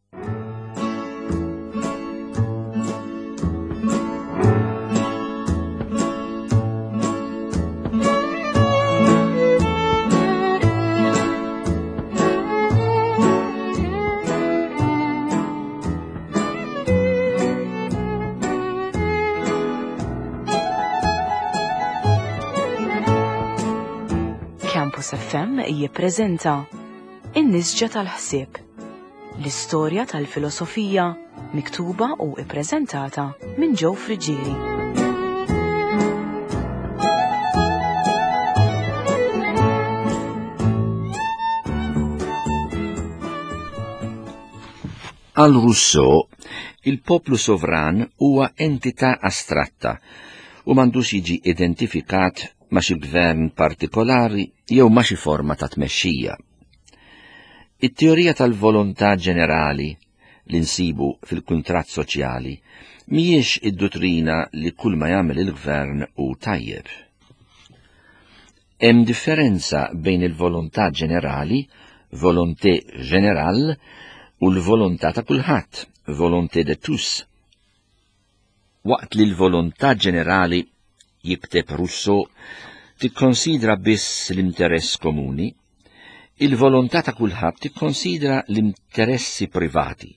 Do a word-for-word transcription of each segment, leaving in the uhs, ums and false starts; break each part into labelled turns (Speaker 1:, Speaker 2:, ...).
Speaker 1: Campus F M jippreżenta In-Nisġa tal-Ħsieb, l-istorja tal-filosofija miktuba u ippreżentata minn Joe Friggieri.
Speaker 2: Għal Rousseau, il-poplu sovran huwa entità astratta u m'għandux jiġi identifikat ma' xi gvern partikolari jew ma' xi forma ta' tmexxija. It-teorija tal-volontà ġenerali li nsibu fil-kuntratt soċjali mhijiex id-duttrina li kull ma jagħmel il-gvern hu tajjeb. Hemm differenza bejn il-volontà ġenerali, volonté générale, u l-volontà ta' kulħadd, volonté de tous. Waqt li l-volontà ġenerali, jikteb Rousseau, tikkonsidra biss l-interess komuni, il-volontà ta' kulħadd tikkonsidra l-interessi privati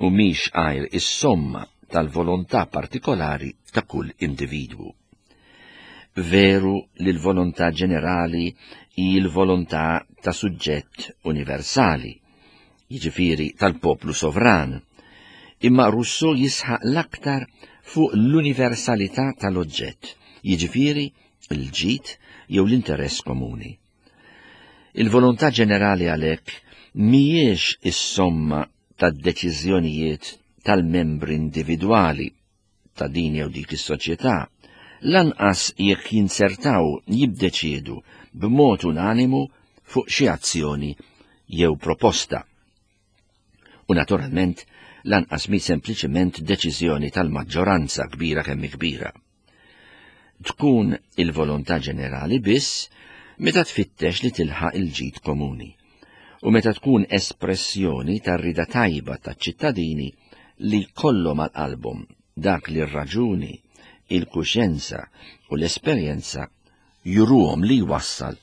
Speaker 2: u mhix għajr is-somma tal-volontà partikolari ta' kull individwu. Veru li l-volontà ġenerali hi l-volontà ta' suġġett universali, jiġifieri tal-poplu sovran, imma Rousseau jisħaq l-aktar fuq l-universalità tal-oġġett, jiġifieri l-ġid jew l-interess komuni. Il-volontà ġenerali għalhekk mhijiex is-somma tad-deċiżjonijiet tal-membri individwali ta' din jew dik is-soċjetà, lanqas jekk jinsertaw jibdeċiedu b'mod unanimu fuq xi azzjoni jew proposta. U naturalment lanqas mi sempliċement deċiżjoni tal-maġġoranza kbira kemm kbira. Tkun il-volontà ġenerali biss meta tfittex li tilħaq il-ġid komuni u meta tkun espressjoni tar-rida tajba taċ-ċittadini li kollhom għal qalbhom dak li r-raġuni, il-kuxjenza u l-esperjenza juruhom li jwassal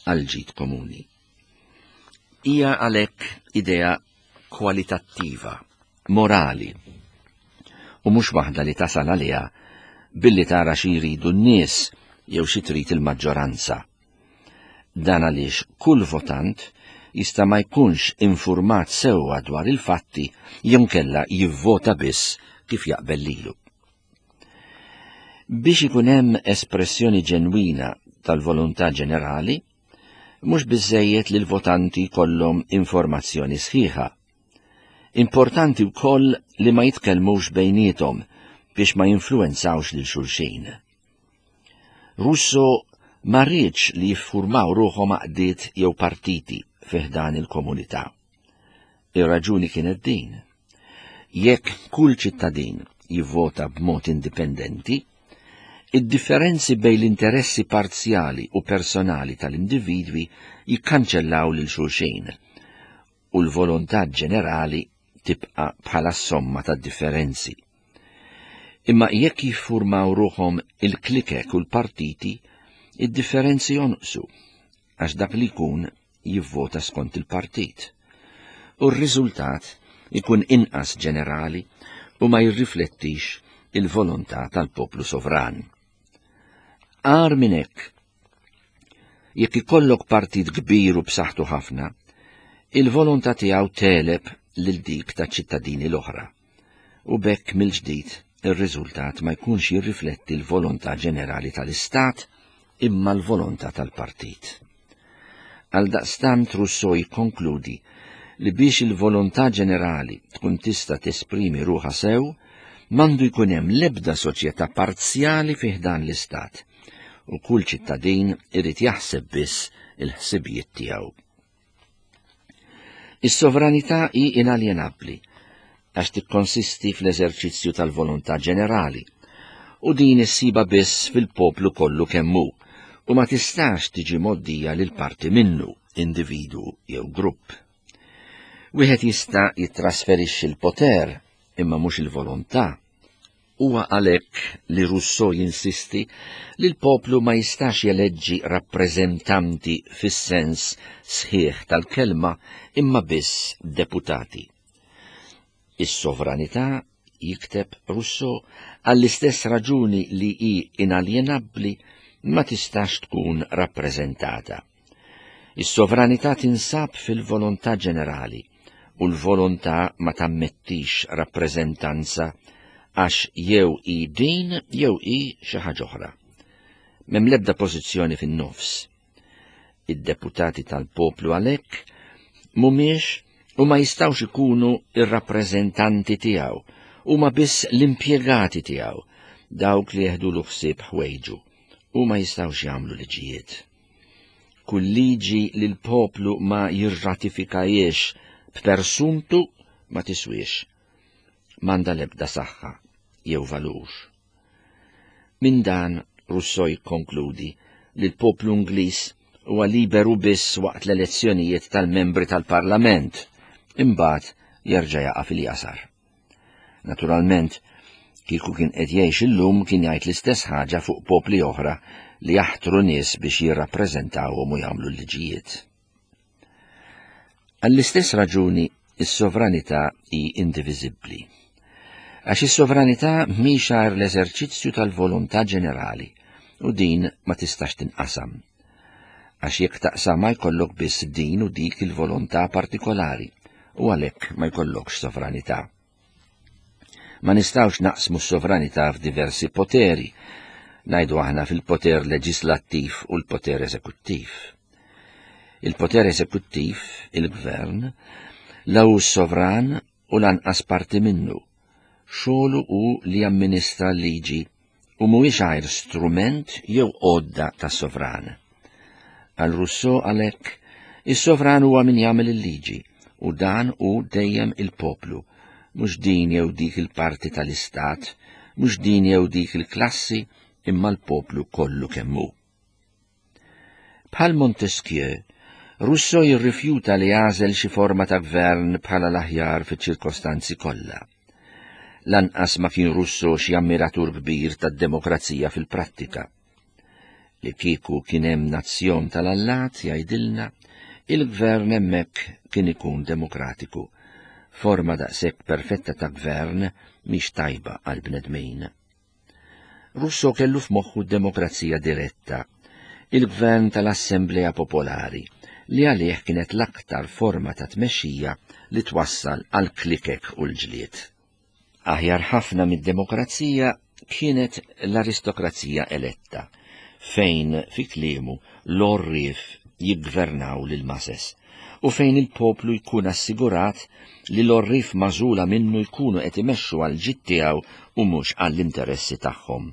Speaker 2: għal ġid komuni. Hija għalhekk idea kwalitattiva, morali, u mhux waħda li tasal għaliha billi tara xi jridu n-nies jew xi trid il-maġġoranza. Dan għaliex kull votant jista' ma jkunx infurmat sewwa dwar il-fatti jew kella jivvota biss kif jaqbel lilu. Biex ikun hemm espressjoni ġenwina tal-volontà ġenerali, mhux biżżejjed li l-votanti jkollhom informazzjoni sħiħa. Importanti wkoll li ma jitkellmux bejniethom biex ma jinfluwenzawx lil xulxin. Rousseau ma rridx li jiffurmaw ruħhom għaqdiet jew partiti fi ħdan il-komunità. Ir-raġuni kienet din. Jekk kull ċittadin jivvota b'mod indipendenti, id-differenzi bejn l-interessi parzjali u personali tal-individwi jikkanċellaw lil xulxin u l-volontà ġenerali tibqa' bħala somma tad-differenzi. Imma jekk jiffurmaw ruħhom il-klikek u l-partiti, id-differenzi jonqsu, għax dak li jkun jivvota skont il-partit. U r-riżultat ikun inqas ġenerali u ma jirriflettix il-volontà tal-poplu sovran. Agħar minn hekk, jekk ikollok partit kbir u b'saħħtu ħafna, il-volontà tiegħu teleb lil dik ta' ċittadini l-oħra, u b'hekk mill-ġdid ir-riżultat ma jkunx jirrifletti l-volontà ġenerali tal-Istat imma l-volontà tal-partit. Għaldaqstant Rousseau jikkonkludi li biex il-volontà ġenerali tkun tista' tesprimi ruħha sew, m'għandu jkun hemm l-ebda soċjetà parzjali fi ħdan l-Istat, u kull ċittadin irid jaħseb biss il-ħsibijiet tiegħu. Is-sovranità hi inaljenabbli għax tikkonsisti fl-eżerċizzju tal-volontà ġenerali, u din issiba biss fil-poplu kollu kemm hu, u ma tistax tiġi moddija lil parti minnu, individu jew grupp. Wieħed jista' jittrasferixxi l-poter imma mhux il-volontà. Huwa għalhekk li Rousseau jinsisti li l-poplu ma jistax jeleġġi rappreżentanti fis-sens sħiħ tal-kelma imma biss deputati. Is-sovranità, jikteb Rousseau, għall-istess raġuni li hi inaljenabbli ma tistax tkun rappreżentata. Is-sovranità tinsab fil-volontà ġenerali u l-volontà ma tammettix rappreżentanza għax jew hi din jew hi xi ħaġa oħra. M'hemm l-ebda pożizzjoni fin-nofs. Id-deputati tal-poplu għalhekk mhumiex u ma jistgħux ikunu ir-rappreżentanti tiegħu, huma biss l-impjegati tiegħu, dawk li jeħdulu ħsieb ħwejġu, u ma jistgħux jagħmlu liġijiet. Kull liġi li l-poplu ma jirratifikajiex b'persuntu ma tiswiex, m'għandha l-ebda saħħa jew valur. Minn dan Rousseau jikkonkludi li l-poplu Ingliż huwa liberu biss waqt l-elezzjonijiet tal-membri tal-Parlament, imbagħad jerġa' jaqa' fil-jasar. Naturalment, kieku kien qed jgħix illum kien jgħid l-istess ħaġa fuq popli oħra li jaħtru nies biex jirrappreżentawhom u jagħmlu l-liġijiet. Għall-istess raġuni, is-sovranità hi indiviżibbli. Għax is-sovranità mhix għajr l-eżerċizzju tal-volontà ġenerali u din ma tistax tinqasam. Għax jekk taqsam ma jkollok biss din u dik il-volontà partikolari u għalhekk ma jkollokx sovranità. Ma nistgħux naqsmu s-sovranità f'diversi poteri, ngħidu aħna fil-poter leġislattiv u l-poter eżekuttiv. Il-poter eżekuttiv, il-gvern, la hu sovran u lanqas parti minnu. Xogħlu hu li jamministra l-liġi u mhuwiex għajr strument jew għodda tas-sovran. Għal Rousseau għalhekk, is-sovran huwa min jagħmel il-liġi u dan hu dejjem il-poplu, mhux din jew dik il-parti tal-istat, mhux din jew dik il-klassi, imma l-poplu kollu kemm hu. Bħal Montesquieu, Rousseau jirrifjuta li jagħżel xi forma ta' gvern bħala l-aħjar fiċ-ċirkostanzi kollha. Lanqas ma kien Rousseau xi ammiratur kbir tad-demokrazija fil-prattika. Li kieku kien hemm nazzjon tal-allat, jgħidilna, il-gvern hemmhekk kien ikun demokratiku. Forma daqshekk perfetta ta' gvern mhix tajba għal bnedmin. Rousseau kellu f'moħħu d-demokrazija diretta, il-gvern tal-Assemblea Popolari, li għalih kienet l-aktar forma ta' tmexxija li twassal għal klikek u l-ġlied. Aħjar ħafna mid-demokrazija kienet l-aristokrazija eletta, fejn fi kliemu l-orrif jiggvernaw lil mases u fejn il-poplu jkun assigurat li l-orrif magħżula minnu jkunu qed imexxu għal ġid tiegħu u mhux għall-interessi tagħhom.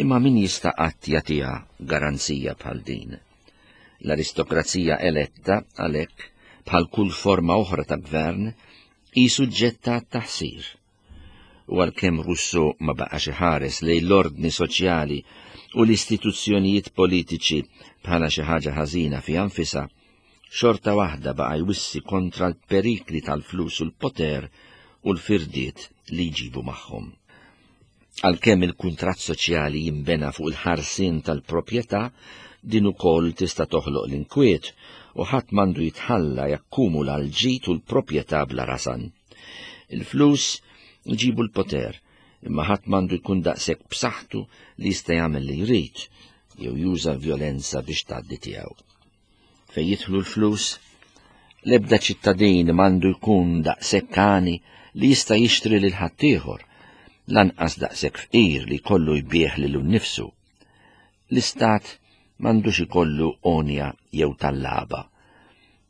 Speaker 2: Imma min jista' qatt jagħtiha garanzija bħal din? L-aristokrazija eletta għalhekk bħal kull forma oħra ta' gvern hi suġġetta għat-taħsir. U għalkemm Rousseau ma baqax iħares lejn l-ordni soċjali u l-istituzzjonijiet politiċi bħala xi ħaġa ħażina fiha nfisha, xorta waħda baqa' jwissi kontra l-perikli tal-flus u l-poter u l-firdiet li jġibu magħhom. Għalkemm il-kuntratt soċjali jinbena fuq il-ħarsien tal-proprjetà, din ukoll tista' toħloq l-inkwiet u ħadd m'għandu jitħalla jakkumula l-ġid u l-proprjetà bla rasan. Il-flus jġibu l-poter, imma ħadd m'għandu jkun daqshekk b'saħħtu li jista' jagħmel li jrid jew juża l-vjolenza biex tgħaddi tiegħu. Fejn jidħlu l-flus, l-ebda ċittadin m'għandu jkun daqshekk għani li jista' jixtri lil ħaddieħor, lanqas daqshekk fqir li jkollu jbieħ lilu nnifsu. L-istat m'għandux ikollu onja jew tallaba.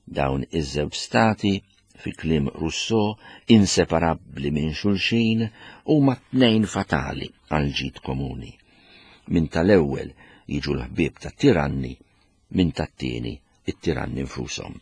Speaker 2: Dawn iż-żewġ stati, fi kliem Rousseau, inseparabbli minn xulxin, huma tnejn fatali għal ġid komuni. Min tal-ewwel jiġu l-ħbieb tat-tiranni, min tat-tieni it-tiranni nfushom.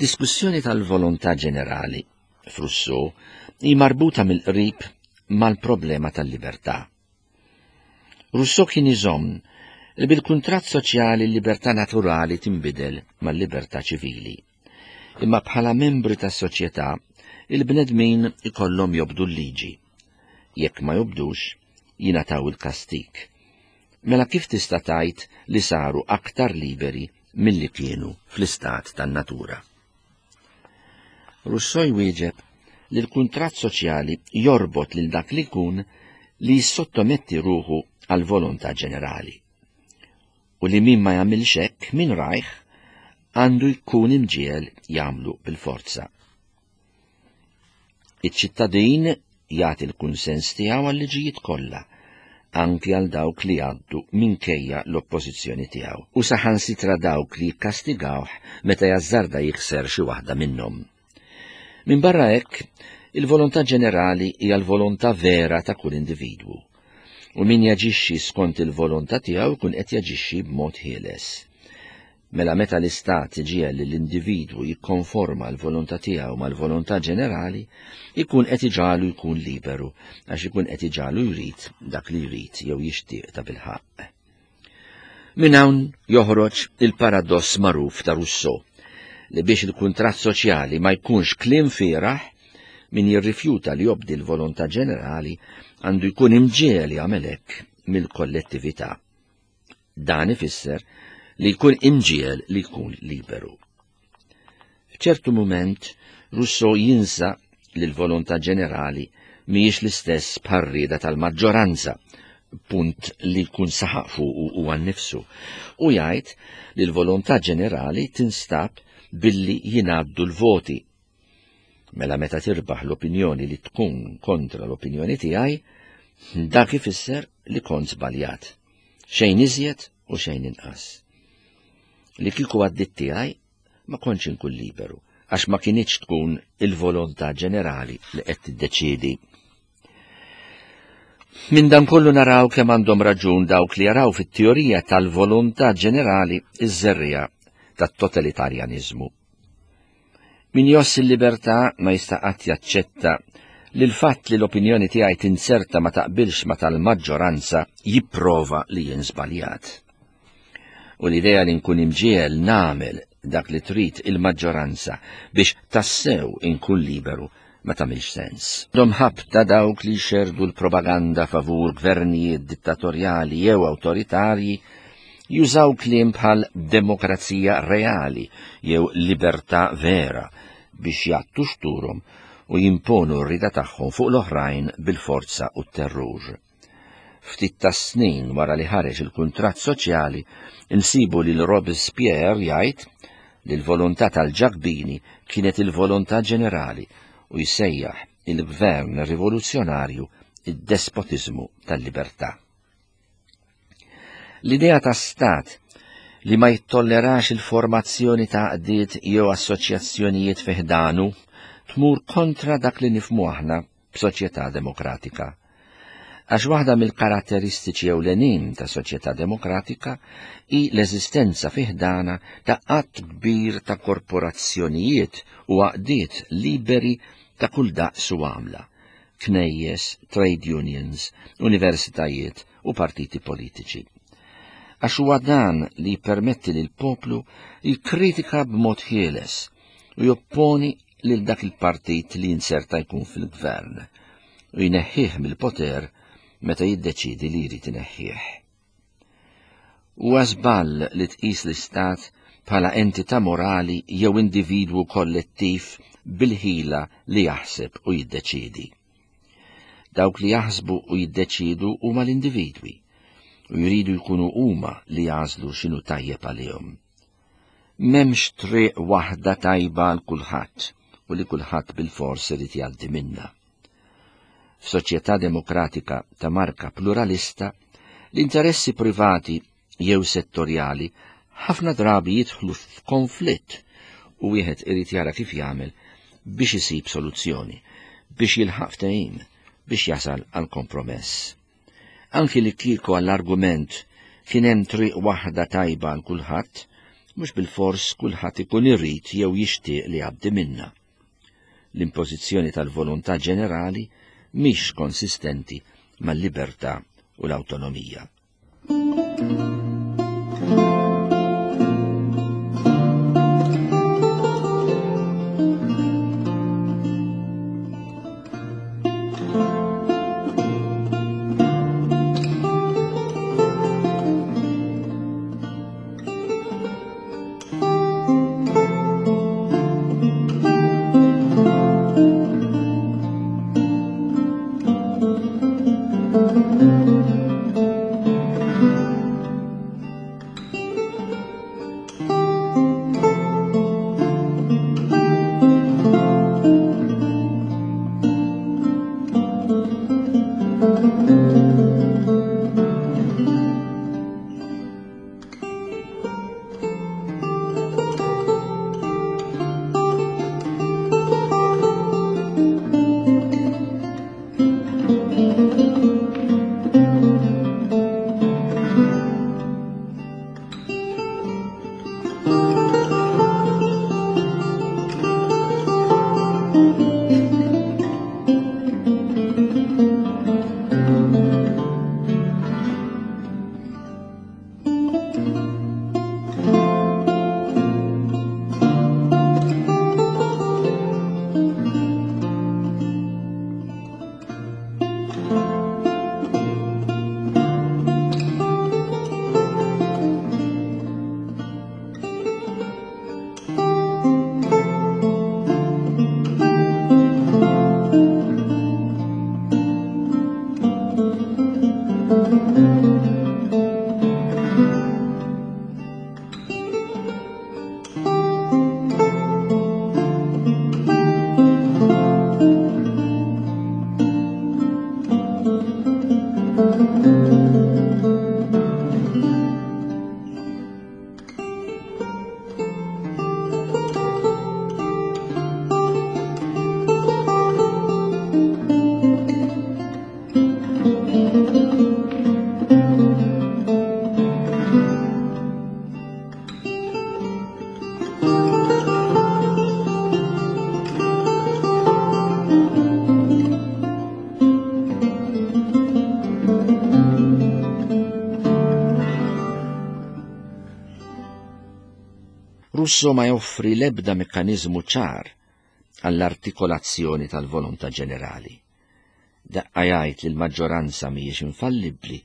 Speaker 2: Id-diskussjoni tal-volontà ġenerali f'Rousseau hi marbuta mill-qrib mal-problema tal-libertà. Rousseau kien iżomm li bil-kuntratt soċjali l-libertà naturali tinbidel mal-libertà ċivili. Imma bħala membri tas-soċjetà, il-bnedmin ikollhom jobdu l-liġi. Jekk ma jobdux, jingħataw il-kastik. Mela kif tista' tgħid li saru aktar liberi milli kienu fl-istat tan-natura? Rousseau jwieġeb li l-kuntratt soċjali jorbot lil dak li jkun li jissottometti ruħu għal volontà ġenerali. U li min ma jagħmilx hekk min rajh għandu jkun imġiegħel jagħmlu bil-forza. Iċ-ċittadin jagħti l-kunsens tiegħu għal-liġijiet kollha, anki għal dawk li għaddu minkejja l-oppożizzjoni tiegħu, u saħansitra dawk li jikkastigawh meta jażżarda jikser xi waħda minnhom. Min barra hekk, il-volontà ġenerali hija l-volontà vera ta' kull individwu. U min jaġixxi skont il-volontà tiegħu jkun qed jaġixxi b'mod ħieles. Mela meta l-istat iġiegħel lill-individwu jikkonforma l-volontà tiegħu mal-volontà ġenerali, ikun qed iġagħlu jkun liberu, għax ikun qed iġagħlu jrid dak li jrid jew jixtieq ta' bilħaqq. Minn hawn joħroġ il-paradoss magħruf ta' Rousseau, li biex il-kuntratt soċjali ma jkunx kliem fieragħ, min jirrifjuta li jobdi l-volontà ġenerali għandu jkun imġiegħel jagħmel hekk mill-kollettività. Dan ifisser li jkun imġiegħel li jkun liberu. F'ċertu mument, Rousseau jinsa li l-volontà ġenerali mhijiex l-istess bħar-rieda tal-maġġoranza, punt li jkun saħaq fuqu huwa nnifsu, u jgħid li l-volontà ġenerali tinstab billi jingħaddu l-voti. Mela meta tirbaħ l-opinjoni li tkun kontra l-opinjoni tiegħi, dak ifisser li kont żbaljat. Xejn iżjed u xejn inqas. Li kieku għaddit tiegħi ma kontx inkun liberu, għax ma kinitx tkun il-volontà ġenerali li qed tiddeċiedi. Minn dan kollu naraw kemm għandhom raġun dawk li jaraw fit-teorija tal-volontà ġenerali iż-żerriegħa tat-totalitarjaniżmu. Min jgħożż il-libertà ma jista' qatt jaċċetta li l-fatt li l-opinjoni tiegħi tinserta ma taqbilx ma tal-maġġoranza jipprova li jien żbaljat. U l-idea li nkun imġiegħel nagħmel dak li trid il-maġġoranza biex tassew inkun liberu ma tagħmilx sens. Dom ħabta dawk li xerdu l-propaganda favur gvernijiet dittatorjali jew awtoritarji jużaw kliem bħal demokrazija reali jew libertà vera biex jgħattu xturhom u jimponu r-rida tagħhom fuq l-oħrajn bil-forza u t-terrur. Ftit ta' snin wara li ħareġ il-kuntratt soċjali, insibu lil Robespierre jgħid li l-volontà tal-Ġakbini kienet il-volontà ġenerali u jsejjaħ il-gvern rivoluzzjonarju id-despotiżmu tal-libertà. L-idea ta' stat li ma jittollerax il-formazzjoni ta' għaqdiet jew assoċjazzjonijiet fi ħdanu tmur kontra dak li nifhmu aħna b'soċjetà demokratika. Għax waħda mill-karatteristiċi ewlenin ta' soċjetà demokratika hi l-eżistenza fi ħdana ta' għadd kbir ta' korporazzjonijiet u għaqdiet liberi ta' kull daqs u għamla, knejjes, trade unions, universitajiet u partiti politiċi. Għax huwa dan li jippermetti lil poplu jikkritika b'mod ħieles u jopponi lil dak il-partit li jinserta jkun fil-gvern u jneħħih mill-poter meta jiddeċidi li jrid ineħħih. Huwa żball li tqis l-istat bħala entità morali jew individwu kollettiv bil-ħila li jaħseb u jiddeċidi. Dawk li jaħsbu u jiddeċidu huma l-individwi u jridu jkunu huma li jagħżlu x'inhu tajjeb għalihom. M'hemmx triq waħda tajba għal kulħadd u li kulħadd bil-fors irid jgħaddi minnha. F'soċjetà demokratika ta' marka pluralista, l-interessi privati jew settorjali ħafna drabi jidħlu f'konflitt u wieħed irid jara kif jagħmel biex isib soluzzjoni, biex jilħaq ftehim, biex jasal għal kompromess. Anki li kieku għall-argument kien hemm triq waħda tajba għal kulħadd, mhux bilfors kulħadd ikun irid jew jixtieq li jgħaddi minnha. L-impożizzjoni tal-volontà ġenerali mhix konsistenti mal-libertà u l-awtonomija. Rousseau ma joffri l-ebda mekkaniżmu ċar għall-artikolazzjoni tal-volontà ġenerali. Daqqa jgħid li l-maġġoranza mhijiex infallibbli,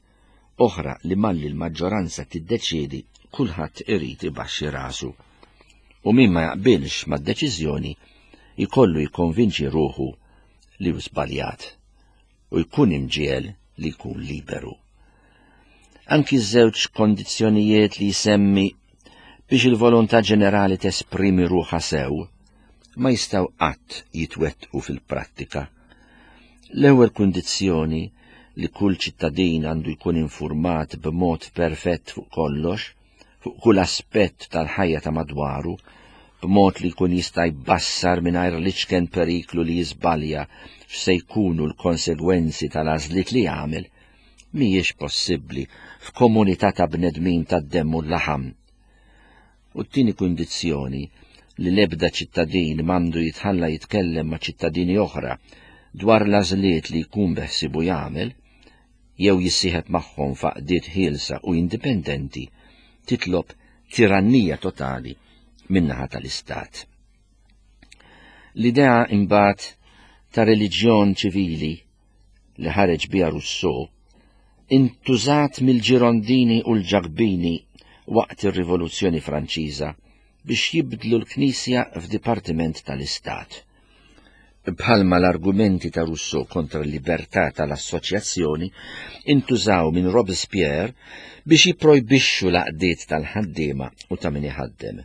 Speaker 2: oħra li malli l-maġġoranza tiddeċiedi kulħadd irid ibaxxi rasu. U min ma jaqbilx mad-deċiżjoni jkollu jikkonvinċi ruħu li hu żbaljat u jkun imġiegħel li jkun liberu. Anki ż-żewġ kondizzjonijiet li jsemmi biex il-volontà ġenerali tesprimi ruħha sew ma jistgħu qatt jitwettqu fil-prattika. L-ewwel kundizzjoni li kull ċittadin għandu jkun infurmat b'mod perfett fuq kollox, fuq kull aspett tal-ħajja ta' madwaru, b'mod li jkun jista' jbassar mingħajr l-iċken periklu li jiżbalja x'se jkunu l-konsegwenzi tal-għażliet li jagħmel, mhijiex possibbli f'komunità ta' bnedmin tad-demm u l-laħam. U t-tieni kundizzjoni li l-ebda ċittadin m'għandu jitħalla jitkellem ma' ċittadini oħra dwar l-għażliet li jkun beħsibu jagħmel jew jissieħeb magħhom f'għaqdiet ħielsa u indipendenti titlob tirannija totali min-naħa tal-Istat. L-idea imbagħad ta' reliġjon ċivili li ħareġ biha Rousseau intużat mill-Ġirondini u l-Ġakbini waqt ir-Rivoluzzjoni Franċiża biex jibdlu l-Knisja f'Dipartiment tal-Istat. Bħalma l-argumenti ta' Rousseau kontra l-libertà tal-assoċjazzjoni intużaw minn Robespierre biex jipprojbixxu l-għaqdiet tal-ħaddiema u ta' min iħaddem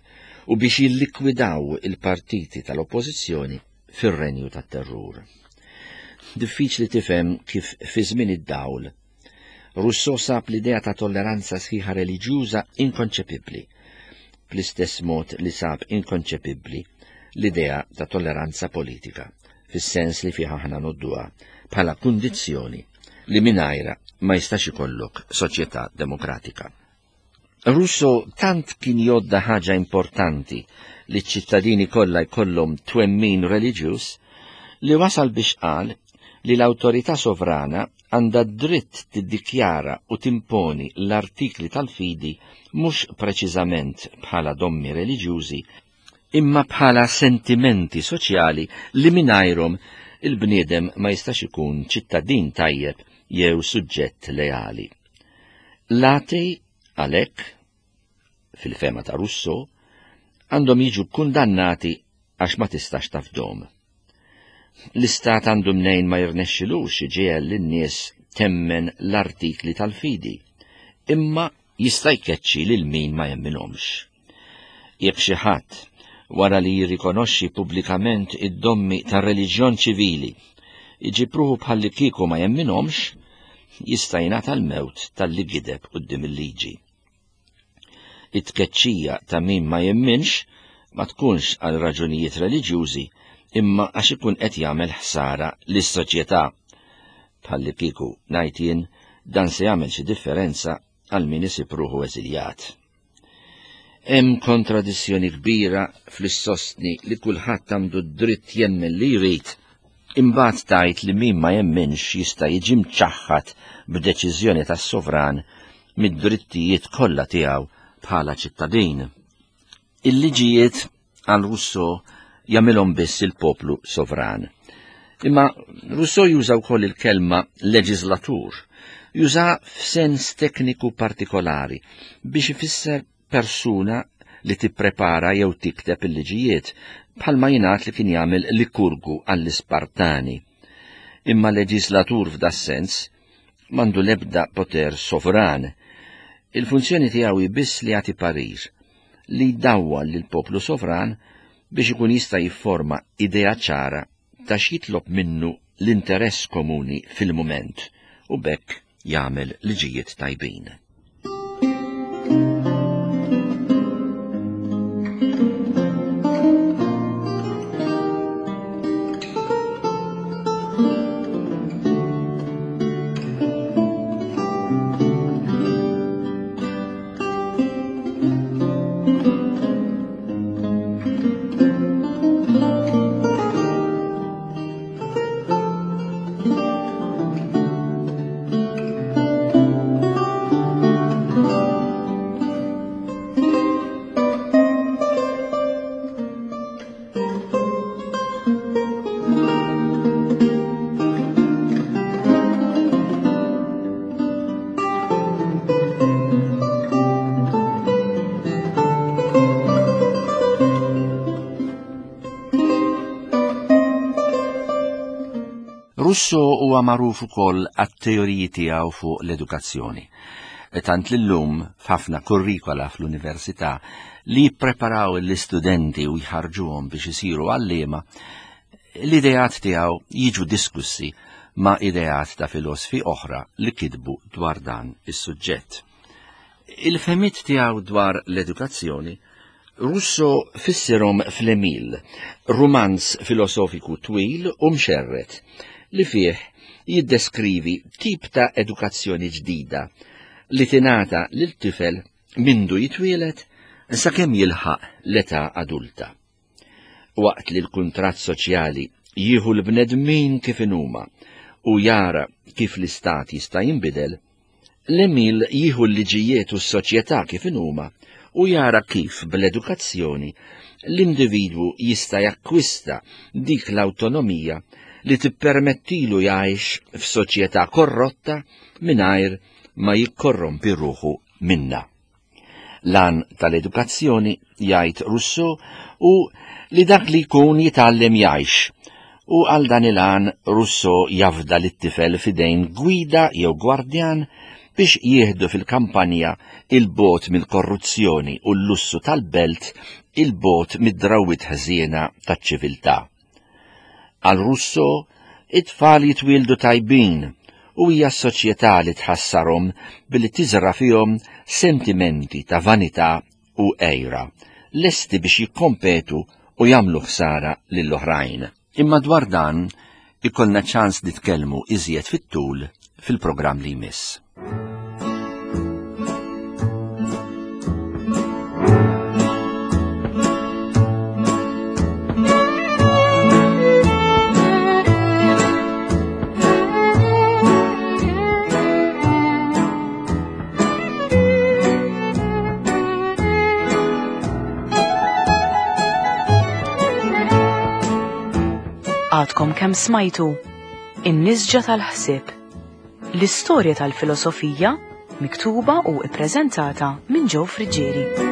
Speaker 2: u biex jillikwidaw il-partiti tal-oppożizzjoni fir-renju tat-terrur. Diffiċli tifhem kif fi żmien id-dawl Rousseau sab l-idea ta' tolleranza sħiħa reliġjuża inkonċepibbli, bl-istess mod li sab inkonċepibbli l-idea ta' tolleranza politika, fis-sens li fiha aħna nodduha bħala kundizzjoni li mingħajra ma jistax ikollok soċjetà demokratika. Rousseau tant kien jodda ħaġa importanti li ċ-ċittadini kollha jkollhom twemmin reliġjuż li wasal biex qal li l-awtorità sovrana għandha dritt tiddikjara u timponi l-artikli tal-fidi mhux preċiżament bħala dommi reliġjużi, imma bħala sentimenti soċjali li mingħajrhom il-bniedem ma jistax ikun ċittadin tajjeb jew suġġett leali. L-atei għalhekk, fil-fema ta' Rousseau, għandhom jiġu kundannati għax ma tistax tafdom. L-istat għandu mnejn ma jirnexxilux iġiegħel lin-nies temmen l-artikli tal-fidi, imma jista' jkeċċi lil min ma jemminhomx. Jekk xi ħadd wara li jirrikonoxxi pubblikament id-dommi tar-reliġjon ċivili iġib ruħu bħalli kieku ma jemminhomx, jista' jingħata l-mewt talli gideb quddiem il-liġi. It-tkeċċija ta' min ma jemminx ma tkunx għal raġunijiet reliġjużi, imma għax ikun qed jagħmel ħsara lis-soċjetà. Bħalli kieku ngħid jien dan se jagħmel xi differenza għal min isib ruħu eżiljat. Hemm kontradizzjoni kbira fl-sostni li kulħadd għandu d-dritt jemmen li jrid, imbagħad tgħid li min ma jemminx jista' jiġi mċaħħad b'deċiżjoni tas-sovran mid-drittijiet kollha tiegħu bħala ċittadin. Il-liġijiet għal Rousseau jagħmilhom biss il-poplu sovran. Imma Rousseau juża wkoll il-kelma leġislatur, juża f'sens tekniku partikolari biex ifisser persuna li tipprepara jew tikteb il-liġijiet, bħalma jingħad li kien jagħmel Likurgu għall-Ispartani. Imma leġislatur f'das-sens m'għandu l-ebda poter sovran. Il-funzjoni tiegħu hi biss li jagħti parir, li jdawwal lill-poplu sovran biex ikun jista' jifforma idea ċara ta' x'jitlob minnu l-interess komuni fil-mument u b'hekk jagħmel liġijiet tajbin. Rousseau huwa magħruf ukoll għat-teoriji tiegħu fuq l-edukazzjoni. Tant li llum f'ħafna kurrikola fl-università li jippreparaw l-istudenti u jħarġuhom biex isiru għalliema, l-ideat tiegħu jiġu diskussi ma' ideat ta' filosfi oħra li kitbu dwar dan is-suġġett. Il-fehmiet tiegħu dwar l-edukazzjoni Rousseau fissirhom fl-Emile, rumanz filosofiku twil u mxerret, li fih jiddeskrivi tip ta' edukazzjoni ġdida li tingħata lil tifel mindu jitwielet sakemm jilħaq l-età adulta. Waqt li l-kuntratt soċjali jieħu l-bnedmin kif inhuma u jara kif l-istat jista' jinbidel, l-Emile jieħu l-liġijiet u s-soċjetà kif inhuma u jara kif bl-edukazzjoni l-individwu jista' jakkwista dik l-awtonomija li tippermettilu jgħix f'soċjetà korrotta mingħajr ma jikkorrompi ruħu minna. Lan tal-edukazzjoni, jgħid Rousseau, hu li dak li jkun jitgħallem jgħix, u għal dan il-għan Rousseau jafda lit-tifel f'idejn gwida jew gwardjan biex jieħdu fil-kampanja il-bot mill-korruzzjoni u l-lussu tal-belt, il-bot mid-drawwiet ħżiena taċ-ċiviltà. Għal Rousseau, it-tfal jitwieldu tajbin u hija s-soċjetà li tħassarhom billi tiżra fihom sentimenti ta' vanità u għejra, lesti biex jikkompetu u jagħmlu ħsara lill-oħrajn. Imma dwar dan ikollna ċans nitkellmu iżjed fit-tul fil-programm li jmiss.
Speaker 1: Għadkom kemm smajtu In-nisġa tal-ħsieb. L-istorja tal-filosofija miktuba u ippreżentata minn Joe Friggieri.